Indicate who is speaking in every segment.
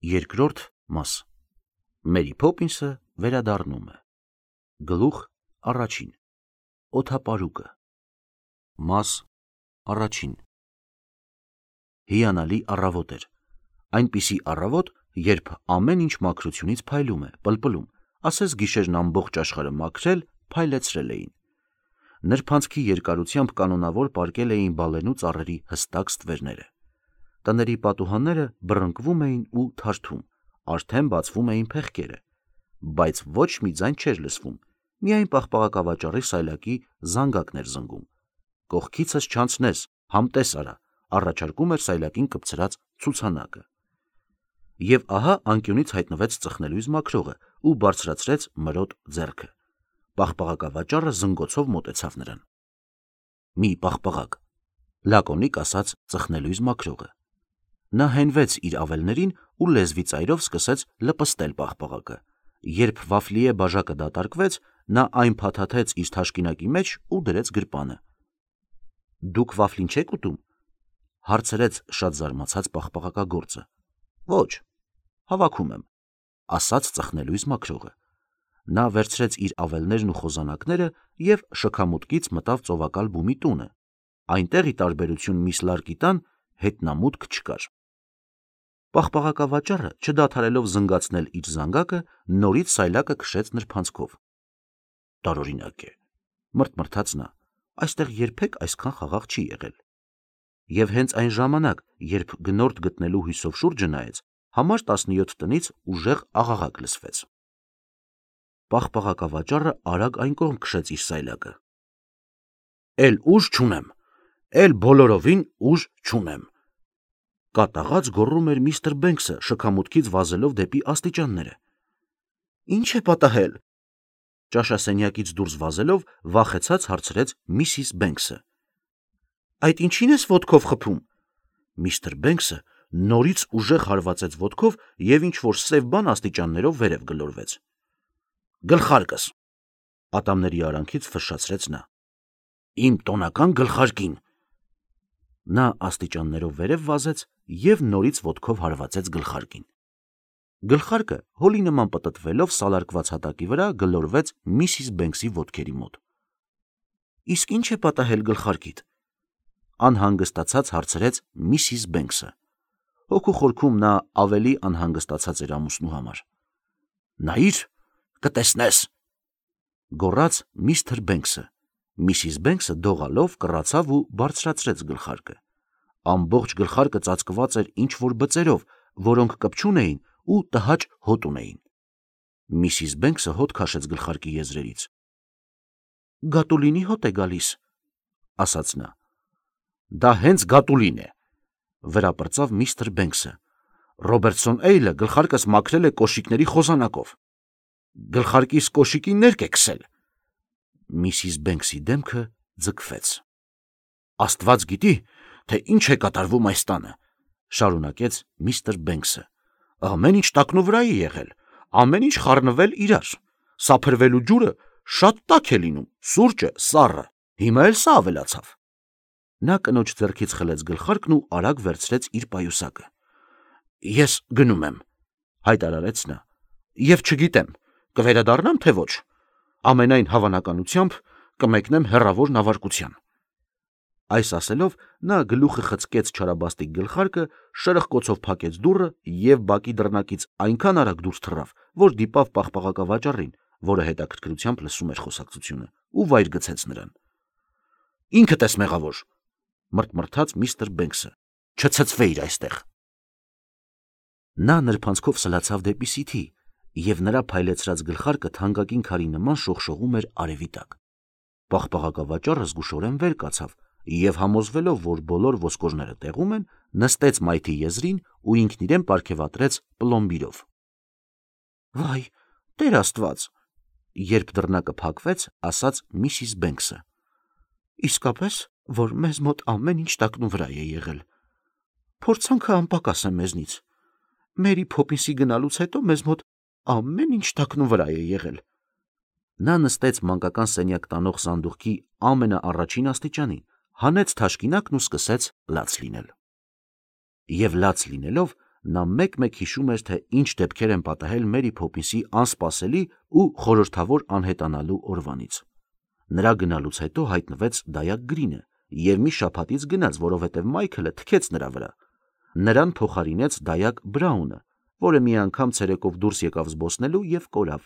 Speaker 1: Երկրորդ մաս Մերի Փոփինսը վերադառնում է։ Գլուխ առաջին Օդապարուկը Մաս առաջին Հիանալի առավոտ էր։ Այնպիսի առավոտ, երբ ամեն ինչ մաքրությունից փայլում է, պլպլում, ասես գիշերն ամբողջ աշխարհը մաքրել, փայլեցրել էին։ Նրբանցքի երկարությամբ կանոնավոր պարկել էին բալենու ծառերի հստակ ստվերները։ Տների պատուհանները բռնկվում էին ու թարթում, արդեն բացվում էին փեղկերը, բայց ոչ մի ձայն չէր լսվում, միայն պաղպաղակավաճառի սայլակի զանգակն էր զնգում։ Կողքիցս չանցնես, համտես արա, առաջարկում էր սայլակին կպցրած ցուցանակը։ Եվ ահա անկյունից հայտնվեց ծխնելույզ մաքրողը ու բարձրացրեց մրոտ ձեռքը։ Պաղպաղակավաճառը զնգոցով մոտեցավ նրան։ Մի պաղպաղակ, լակոնիկ ասաց ծխնելույզ մաքրողը։ Նա հենվեց իր ավելներին ու լեզվի ծայրով սկսեց լպստել պաղպաղակը։ Երբ վաֆլիե բաժակը դատարկվեց, նա այն փաթաթեց իր թաշկինակի մեջ ու դրեց գրպանը։ Դուք վաֆլին չեք ուտում, հարցրեց շատ զարմացած պաղպաղակագործը։ Ոչ, հավաքում եմ, ասաց ծխնելույզ մաքրողը։ Նա վերցրեց իր ավելներն ու խոզանակները և շքամուտքից մտավ ծովակալ բումի տունը։ Այնտեղ ի տարբերություն միս լարկի տան հետնամուտք չկար։ Պաղպաղակավաճառը, չդադարելով զնգացնել իր զանգակը, նորից սայլակը քշեց նրբանցքով։ Տարօրինակ է, մրթմրթաց նա, այստեղ երբեք այսքան խաղաղ չի եղել։ Եվ հենց այն ժամանակ, երբ գնորդ գտնելու հույսով շուրջը նայեց, համար 17 տնից ուժեղ աղաղակ լսվեց։ Պաղպաղակավաճառը արագ այն կողմ քշեց իր սայլակը։ Էլ ուժ չունեմ, էլ բոլորովին ուժ չունեմ, կատաղած գոռում էր միստր Բենքսը, շքամուտքից վազելով դեպի աստիճանները։ Ինչ է պատահել։ Ճաշասենյակից դուրս վազելով վախեցած հարցրեց Միսիս Բենքսը։ Այդ ինչին ես ոտքով խփում։ Միստր Բենքսը նորից ուժեղ հարվածեց ոտքով և ինչ-որ սև բան աստիճաններով վերև գլորվեց։ Գլխարկս, ատամների արանքից ֆշշացրեց նա։ Իմ տոնական գլխարկին։ Նա աստիճաններով վերև վազեց և նորից ոտքով հարվածեց գլխարկին։ Գլխարկը հոլի նման պտտվելով սալարկված հատակի վրա գլորվեց Միսիս Բենքսի ոտքերի մոտ։ Իսկ ինչ է պատահել գլխարկիդ։ Անհանգստացած հարցրեց Միսիս Բենքսը։ Հոգու խորքում նա ավելի անհանգստացած էր ամուսնու համար։ Նայիր, կտեսնես, գոռաց միստր Բենքսը։ Միսիս Բենքսը դողալով կռացավ ու բարձրացրեց գլխարկը։ Ամբողջ գլխարկը ծածկված էր ինչ-որ բծերով, որոնք կպչուն էին ու տհաճ հոտ ունեին։ Միսիս Բենքսը հոտ քաշեց գլխարկի եզրերից։ Գատուլինի հոտ է գալիս, ասաց նա։ Դա հենց գատուլին է, վրապրծավ միստր Բենքսը։ Ռոբերտսոն Էյլը գլխարկս մաքրել է կոշիկների խոզանակով։ Գլխարկիս կոշիկին ներք է քսել։ Միսիս Բենքսի դեմքը ձգվեց։ Աստված գիտի, թե ինչ է կատարվում այս տանը, շարունակեց միստր Բենքսը։ Ամեն ինչ տակնուվրա է եղել, ամեն ինչ խառնվել իրար։ Սափրվելու ջուրը շատ տաք է լինում, սուրճը սառը, հիմա էլ սա ավելացավ։ Նա կնոջ ձեռքից խլեց գլխարկն ու արագ վերցրեց իր պայուսակը։ Ես գնում եմ, հայտարարեց նա, և չգիտեմ, կվերադառնամ, թե ոչ։ Ամենայն հավանականությամբ կմեկնեմ հեռավոր նավարկության։ Այս ասելով նա գլուխը խցկեց չարաբաստիկ գլխարկը, շրխկոցով փակեց դուռը և բակի դռնակից այնքան արագ դուրս թռավ, որ դիպավ պաղպաղակավաճառին, որը հետաքրքրությամբ լսում էր խոսակցությունը, ու վայր գցեց նրան։ Ինքդ ես մեղավոր, մրթմրթաց միստր Բենքսը, չցցվեիր այստեղ։ Նա նրբանցքով սլացավ դեպի Սիթի, և նրա փայլեցրած գլխարկը թանկագին քարի նման շողշողում էր արևի տակ։ Պաղպաղակավաճառը զգուշորեն վեր կացավ և համոզվելով, որ բոլոր ոսկորները տեղում են, նստեց մայթի եզրին ու ինքն իրեն պարգևատրեց պլոմբիրով։ Վայ, Տեր Աստված, երբ դռնակը փակվեց, ասաց Միսիս Բենքսը։ Իսկապես, որ մեզ մոտ ամեն ինչ տակնուվրա է եղել։ Փորձանքը անպակաս է մեզնից։ Մերի Փոփինսի գնալուց հետո մեզ մոտ ամեն ինչ տակնուվրա է եղել։ Նա նստեց մանկական սենյակ տանող սանդուղքի ամենաառաջին աստիճանին, հանեց թաշկինակն ու սկսեց լաց լինել։ Եվ լաց լինելով, նա մեկ-մեկ հիշում էր, թե ինչ դեպքեր են պատահել Մերի Փոփինսի անսպասելի ու խորհրդավոր անհետանալու օրվանից։ Նրա գնալուց հետո հայտնվեց դայակ Գրինը և մի շաբաթից գնաց, որովհետև Մայքլը թքեց նրա վրա։ Նրան փոխարինեց դայակ Բրաունը, որը մի անգամ ցերեկով դուրս եկավ զբոսնելու և կորավ։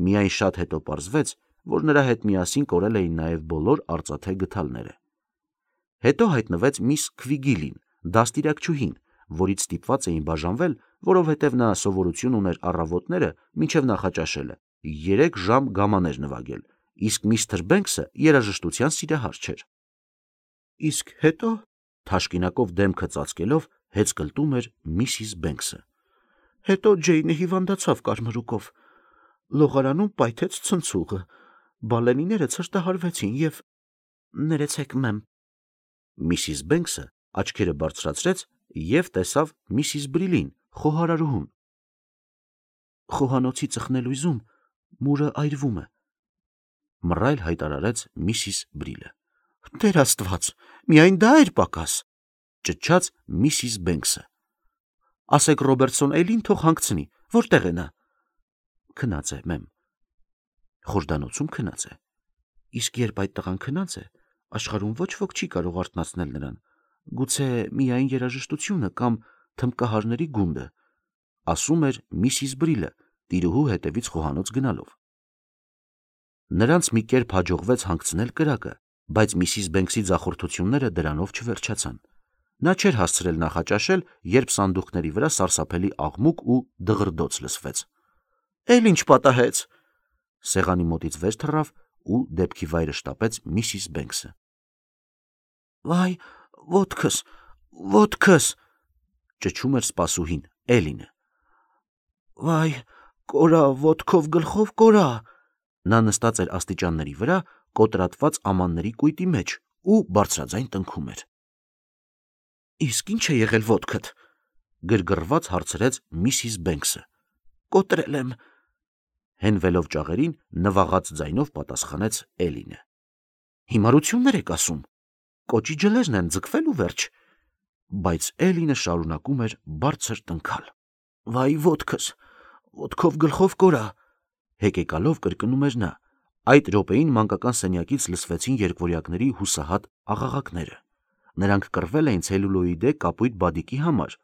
Speaker 1: Միայն շատ հետո պարզվեց, որ նրա հետ միասին կորել էին նաև բոլոր արծաթե գդալները։ Հետո հայտնվեց միս Քվիգիլին, դաստիարակչուհին, որից ստիպված էին բաժանվել, որովհետև նա սովորություն ուներ առավոտները մինչև նախաճաշելը 3 ժամ գամաներ նվագել, իսկ միստր Բենքսը երաժշտության սիրահար չէր։ Իսկ հետո, թաշկինակով դեմքը ծածկելով, հեծկլտում էր Միսիս Բենքսը։ Հետո Ջեյնը հիվանդացավ կարմրուկով, լողարանում պայթեց ցնցուղը, բալենիները ցրտահարվեցին և… Ներեցեք, մեմ։ Միսիս Բենքսը աչքերը բարձրացրեց և տեսավ Միսիս Բրիլին, խոհարարուհուն։ Խոհանոցի ծխնելույզում մուրը այրվում է, մռայլ հայտարարեց Միսիս Բրիլը։ Տեր Աստված, միայն դա էր պակաս, ճչաց Միսիս Բենքսը։ Ասեք Ռոբերտսոն Էյլին թող հանգցնի, որտեղ է նա։ Քնած է, մեմ։ Խորհրդանոցում քնած է։ Իսկ երբ այդ տղան քնած է, աշխարհում ոչ ոք չի կարող արթնացնել նրան, գուցե միայն երաժշտությունը կամ թմբկահարների գունդը, ասում էր Միսիս Բրիլը, տիրուհու հետևից խոհանոց գնալով։ Նրանց մի կերպ հաջողվեց հանգցնել կրակը, բայց Միսիս Բենքսի ձախորդությունները դրանով չվերջացան։ Նա չէր հասցրել նախաճաշել, երբ սանդուղքների վրա սարսափելի աղմուկ ու դղրդոց լսվեց։ Էլ ինչ պատահեց։ Սեղանի մոտից վեր թռավ ու դեպքի վայրը շտապեց Միսիս Բենքսը։ Վայ, ոտքս, ոտքս, ճչում էր սպասուհին, Էլինը։ Վայ, կորա, ոտքով գլխով կորա։ Նա նստած էր աստիճանների վրա, կոտրատված ամանների կույտի մեջ ու բարձրաձայն տնքում էր։ Իսկ ինչ է եղել ոտքդ, գրգռված հարցրեց Միսիս Բենքսը։ Կոտրել եմ, հենվելով ճաղերին, նվաղած ձայնով պատասխանեց Էլինը։ Հիմարություններ եք ասում, կոճի ջլերն են ձգվել ու վերջ։ Բայց Էլինը շարունակում էր բարձր տնքալ։ Վայ, ոտքս, ոտքով գլխով կորա, հեկեկալով կրկնում էր նա։ Այդ րոպեին մանկական սենյակից լսվեցին երկվորյակների հուսահատ աղաղակները։ Նրանք կռվել էին ցելյուլոիդե կապույտ բադիկի համար։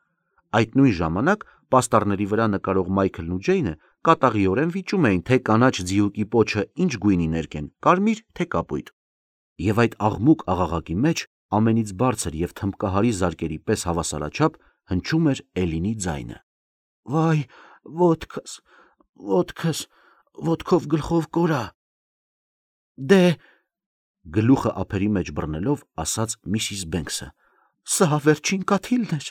Speaker 1: Այդ նույն ժամանակ պաստառների վրա նկարող Մայքլն ու Ջեյնը կատաղիորեն վիճում էին, թե կանաչ ձիուկի պոչը ինչ գույնի ներկեն, կարմիր թե կապույտ։ Եվ այդ աղմուկ աղաղակի մեջ ամենից բարձր և թմբկահարի զարկերի պես հավասարաչափ հնչում էր Էլինի ձայնը։ Վայ, ոտքս, ոտքս, ոտքով գլխով կորա։ Դե, գլուխը ափերի մեջ բռնելով, ասաց Միսիս Բենքսը։ Սա վերջին կաթիլն էր։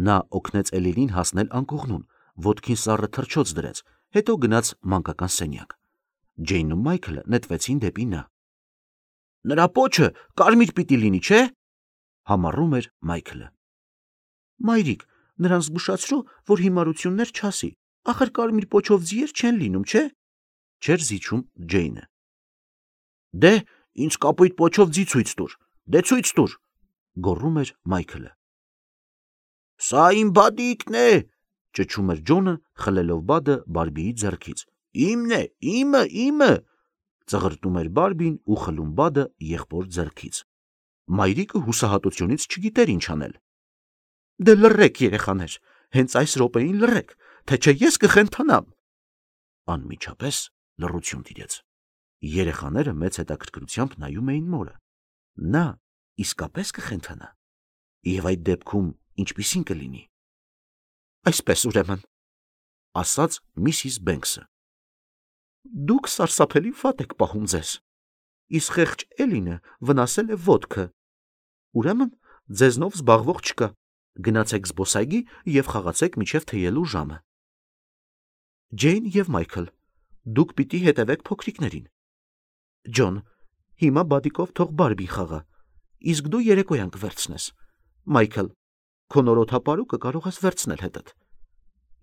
Speaker 1: Նա օգնեց Էլինին հասնել անկողնուն, ոտքին սառը թռչոց դրեց, հետո գնաց մանկական սենյակ։ Ջեյնն ու Մայքլը նետվեցին դեպի նա։ Նրա պոչը կարմիր պիտի լինի, չէ՞, համառում էր Մայքլը։ Մայրիկ, նրան զգուշացրու, որ հիմարություններ չասի, ախր կարմիր պոչով ձիեր չեն լինում, չէ՞, չէր զիջում Ջեյնը։ Դե, ինձ կապույտ պոչով ձի ցույց տուր, դե ցույց տուր, գոռում էր Մայքլը։ Սա իմ բադիկն է, ճչում էր Ջոնը, խլելով բադը Բարբիի ձեռքից։ Իմն է, իմը, ծղրտում էր Բարբին ու խլում բադը եղբոր ձեռքից։ Մայրիկը հուսահատությունից չգիտեր ինչ անել։ Դե լռեք, երեխաներ, հենց այս րոպեին լռեք, թե չէ ես կխենթանամ։ Անմիջապես լռություն տիրեց։ Երեխաները մեծ հետաքրքրությամբ նայում էին մորը։ Նա իսկապես կխենթանա։ Եվ այդ դեպքում ինչպիսին կլինի։ Այսպես ուրեմն, ասաց Միսիս Բենքսը։ Դուք սարսափելի վատ եք պահում ձեզ։ Իսկ խեղճ Էլինը վնասել է ոտքը։ Ուրեմն ձեզնով զբաղվող չկա։ Գնացեք զբոսայգի և խաղացեք մինչև թեյելու ժամը։ Ջեյն և Մայքլ, դուք պիտի հետևեք փոքրիկներին։ Ջոն, հիմա բադիկով թող Բարբի խաղա, իսկ դու երեկոյան կվերցնես։ Մայքլ, քո նորոթապարուկը կարող ես վերցնել հետդ։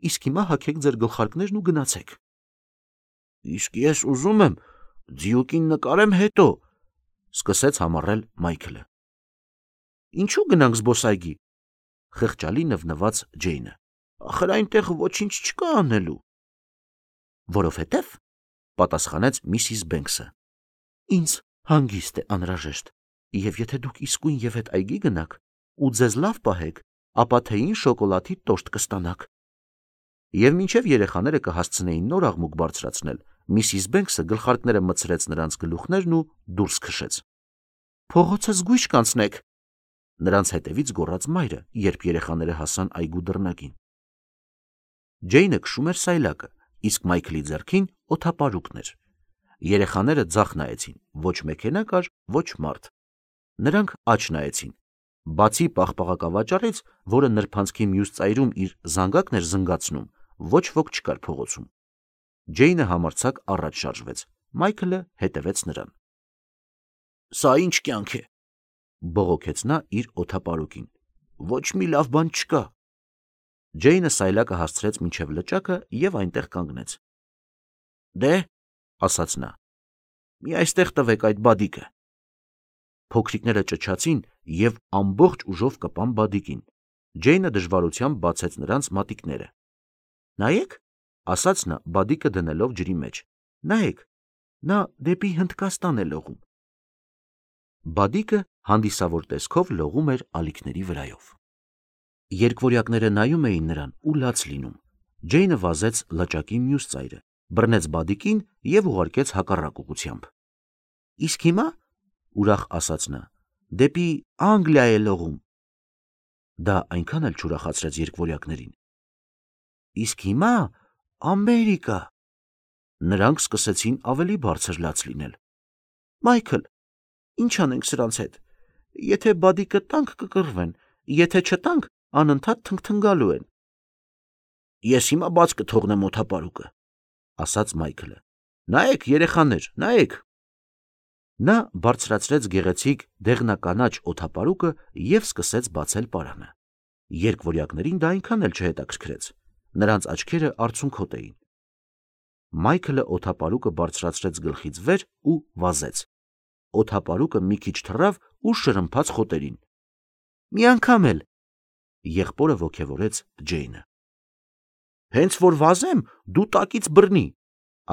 Speaker 1: Իսկ հիմա հագեք ձեր գլխարկներն ու գնացեք։ Իսկ ես ուզում եմ ձիուկին նկարեմ հետո, սկսեց համառել Մայքլը։ Ինչու գնանք զբոսայգի։ խղճալի նվնված Ջեյնը։ Ախր այնտեղ ոչինչ չկա անելու։ Որովհետև, պատասխանեց Միսիս Բենքսը, ինձ հանգիստ է անհրաժեշտ, եւ եթե դուք իսկույն եւ հետ այգի գնաք ու ձեզ լավ պահեք, ապա թեյին շոկոլադի տորտ կստանաք։ Եվ մինչև երեխաները կհասցնեին նոր աղմուկ բարձրացնել, Միսիս Բենքսը գլխարկները մտցրեց նրանց գլուխներն ու դուրս քշեց։ Փողոցը զգույշ կանցնեք, նրանց հետևից գոռաց մայրը, երբ երեխաները հասան այգու դռնակին։ Ջեյնը քշում էր սայլակը, իսկ Մայքլի ձեռքին օդապարուկն էր։ Երեխաները ձախ նայեցին, ոչ մեքենա կար, ոչ մարդ։ Նրանք աջ նայեցին։ Բացի պաղպաղակավաճառից, որը նրբանցքի մյուս ծայրում իր զանգակն էր զնգացնում, ոչ ոք չկար փողոցում։ Ջեյնը համարձակ առաջ շարժվեց, Մայքլը հետևեց նրան։ Սա ինչ կյանք է, բողոքեց նա իր օդապարուկին։ Ոչ մի լավ բան չկա։ Ջեյնը սայլակը հասցրեց մինչև լճակը եւ այնտեղ կանգնեց։ Դե, ասաց նա, մի այստեղ տվեք այդ բադիկը։ Փոքրիկները ճչացին եւ ամբողջ ուժով կպան բադիկին։ Ջեյնը դժվարությամբ բացեց նրանց մատիկները։ Նայեք, ասաց նա, բադիկը դնելով ջրի մեջ։ Նայեք, նա դեպի Հնդկաստան է լողում։ Բադիկը հանդիսավոր տեսքով լողում էր ալիքների վրայով։ Երկվորյակները նայում էին նրան ու լաց լինում։ Ջեյնը վազեց լճակի մյուս ծայրը, բռնեց բադիկին եւ ուղարկեց հակառակ ուղղությամբ։ Իսկ հիմա, ուրախ ասաց նա, դեպի Անգլիա է լողում։ Դա այնքան էլ չուրախացրեց երկվորյակներին։ Իսկ հիմա Ամերիկա։ Նրանք սկսեցին ավելի բարձր լաց լինել։ Մայքլ, ինչ անենք սրանց հետ։ Եթե բադիկը տանք կկռվեն, եթե չտանք, անընդհատ թնգթնգալու են։ Ես հիմա բաց կթողնեմ օդապարուկը, ասաց Մայքլը։ Նայեք, երեխաներ, նայեք։ Նա բարձրացրեց գեղեցիկ դեղնականաչ օդապարուկը եւ սկսեց բացել պարանը։ Երկվորյակներին դա այնքան էլ չհետաքրքրեց։ Նրանց աչքերը արցունքոտ էին։ Մայքլը օդապարուկը բարձրացրեց գլխից վեր ու վազեց։ Օդապարուկը մի քիչ թռավ ու շրմփաց խոտերին։ Մի անգամ էլ, եղբորը ոգևորեց Ջեյնը։ Հենց որ վազեմ, դու տակից բռնի,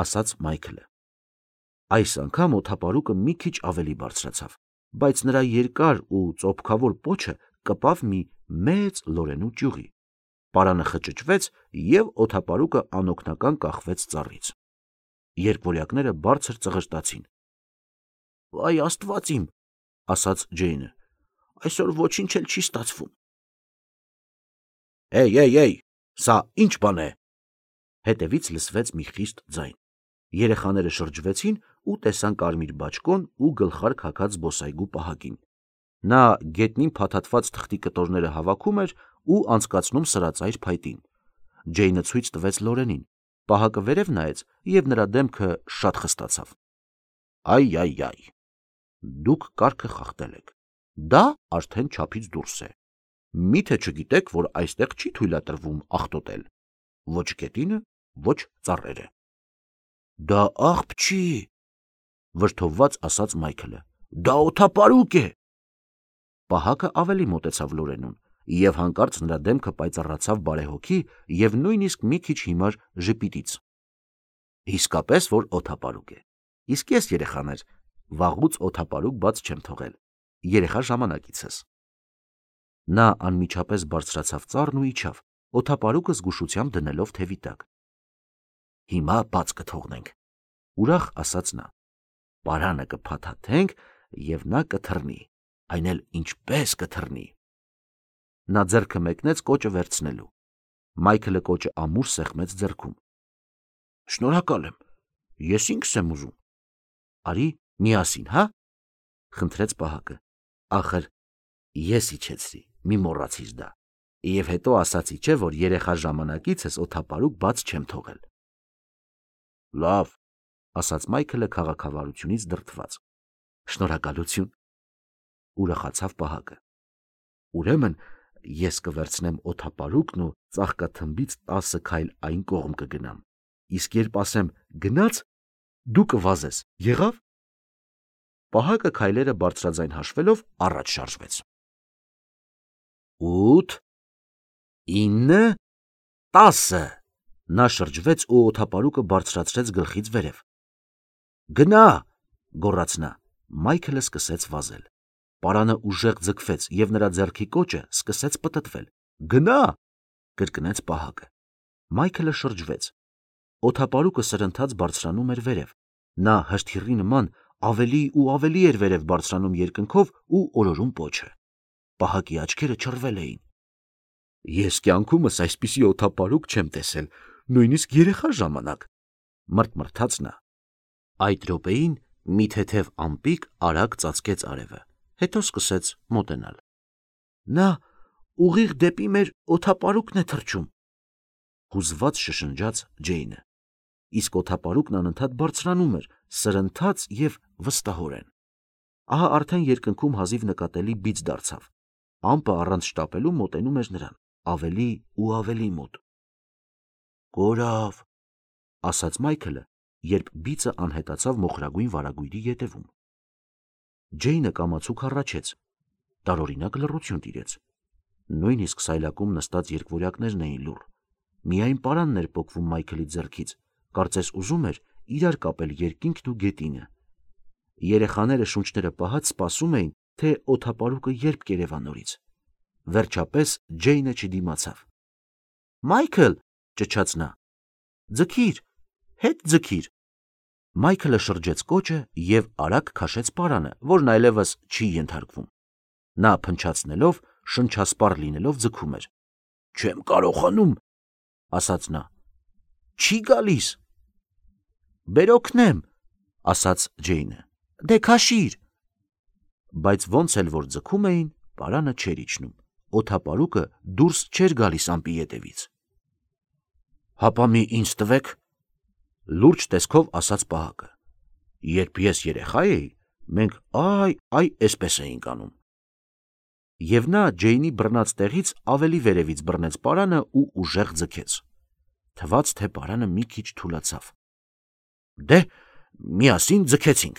Speaker 1: ասաց Մայքլը։ Այս անգամ օդապարուկը մի քիչ ավելի բարձրացավ, բայց նրա երկար ու ծոփքավոր պոչը կպավ մի մեծ լորենու ճյուղի։ Պարանը խճճվեց եւ օդապարուկը անօգնական կախվեց ծառից։ Երկվորյակները բարձր ծղրտացին։ Վայ Աստված իմ, ասաց Ջեյնը, այսօր ոչինչ էլ չի ստացվում։ Էй, սա ինչ բան է։ Հետևից լսվեց մի խիստ ձայն։ Երեխաները շրջվեցին ու տեսան կարմիր բաճկոն ու գլխարկ հագած զբոսայգու պահակին։ Նա գետնին փաթաթված թղթի կտորները հավաքում էր ու անցկացնում սրածայր փայտին։ Ջեյնը ցույց տվեց Լորենին։ Պահակը վերև նայեց եւ նրա դեմքը շատ խստացավ։ Այ, դուք կարգը խախտել եք։ Դա արդեն չափից դուրս է։ Միթե չգիտեք, որ այստեղ չի թույլատրվում աղտոտել։ Ոչ գետինը, ոչ ծառերը։ Դա աղբ չի, վրդովված ասաց Մայքլը։ Դա օդապարուկ է։ Պահակը ավելի մոտեցավ Լորենուն, եւ հանկարծ նրա դեմքը պայծառացավ բարեհոգի եւ նույնիսկ մի քիչ հիմար ժպիտից։ Իսկապես որ օդապարուկ է։ Իսկ ես, երեխաներ, վաղուց օդապարուկ բաց չեմ թողել։ Երեխա ժամանակիցս։ Նա անմիջապես բարձրացավ ծառն ու իջավ, օդապարուկը զգուշությամբ դնելով թևի տակ։ Հիմա բաց կթողնենք, ուրախ ասաց նա։ Պարանը կփաթաթենք եւ նա կթռնի, այն էլ ինչպես կթռնի։ Նա ձեռքը մեկնեց կոճը վերցնելու։ Մայքլը կոճը ամուր սեղմեց ձեռքում։ Շնորհակալ եմ, ես ինքս եմ ուզում։ Արի միասին, հա, խնդրեց պահակը։ Ախր ես իջեցրի, մի մոռացիր դա։ Եվ հետո ասացի չէ, որ երեխա ժամանակիցս օդապարուկ բաց չեմ թողել։ Լավ, ասաց Մայքլը քաղաքավարությունից դրդված։ Շնորհակալություն, ուրախացավ պահակը։ Ուրեմն ես կվերցնեմ օդապարուկն ու ծաղկաթմբից 10 քայլ այն կողմ կգնամ։ Իսկ երբ ասեմ գնաց, դու կվազես, եղավ։ Պահակը քայլերը բարձրաձայն հաշվելով առաջ շարժվեց։ 8 9, 10։ Նա շրջվեց ու օդապարուկը բարձրացրեց գլխից վերև։ Գնա, գոռաց նա։ Մայքլը սկսեց վազել։ Պարանը ուժեղ ձգվեց և նրա ձեռքի կոճը սկսեց պտտվել։ Գնա, կրկնեց պահակը։ Մայքլը շրջվեց։ Օդապարուկը սրընթաց բարձրանում էր վերև։ Նա հրթիռի նման ավելի ու ավելի էր վերև բարձրանում երկնքով ու օրորում պոչը։ Պահակի աչքերը չռվել էին։ Ես կյանքումս այսպիսի օդապարուկ չեմ տեսել, նույնիսկ երեխա ժամանակ, մրթմրթաց նա։ Այդ րոպեին մի թեթև ամպիկ արագ ծածկեց արևը, հետո սկսեց մոտենալ։ Նա ուղիղ դեպի մեր օդապարուկն է թռչում, հուզված շշնջաց Ջեյնը։ Իսկ օդապարուկն անընդհատ բարձրանում էր, սրընթաց և վստահորեն։ Ահա արդեն երկնքում հազիվ նկատելի բիծ դարձավ։ Ամպը առանց շտապելու մոտենում էր նրան, ավելի ու ավելի մոտ։ Կորավ, ասաց Մայքլը, երբ բիծը անհետացավ մոխրագույն վարագույրի ետևում։ Ջեյնը կամացուկ հառաչեց, տարօրինակ լռություն տիրեց։ Նույնիսկ սայլակում նստած երկվորյակներն էին լուռ։ Միայն պարանն էր պոկվում Մայքլի ձեռքից, կարծես ուզում էր իրար կապել երկինքն ու գետինը։ Երեխաները շունչները պահած սպասում էին, թե օդապարուկը երբ կերևա նորից։ Վերջապես Ջեյնը չդիմացավ։ Մայքլ, ճչաց նա, ձգիր, հետ ձգիր։ Մայքլը շրջեց կոճը և արագ քաշեց պարանը, որն այլևս չի ենթարկվում։ Նա փնչացնելով, շնչասպառ լինելով ձգում էր։ Չեմ կարողանում, ասաց նա։ Չի գալիս։ Բեր օգնեմ, ասաց Ջեյնը։ Դե քաշիր։ Բայց ոնց էլ որ ձգում էին, պարանը չէր իջնում։ Օդապարուկը դուրս չէր գալիս ամպի ետևից։ Հապա մի ինձ տվեք, լուրջ տեսքով ասաց պահակը։ Երբ ես երեխա էի, մենք այսպես էինք անում։ Եվ նա Ջեյնի բռնած տեղից ավելի վերևից բռնեց պարանը ու ուժեղ ձգեց։ Թվաց, թե պարանը մի քիչ թուլացավ։ Դե, միասին ձգեցինք,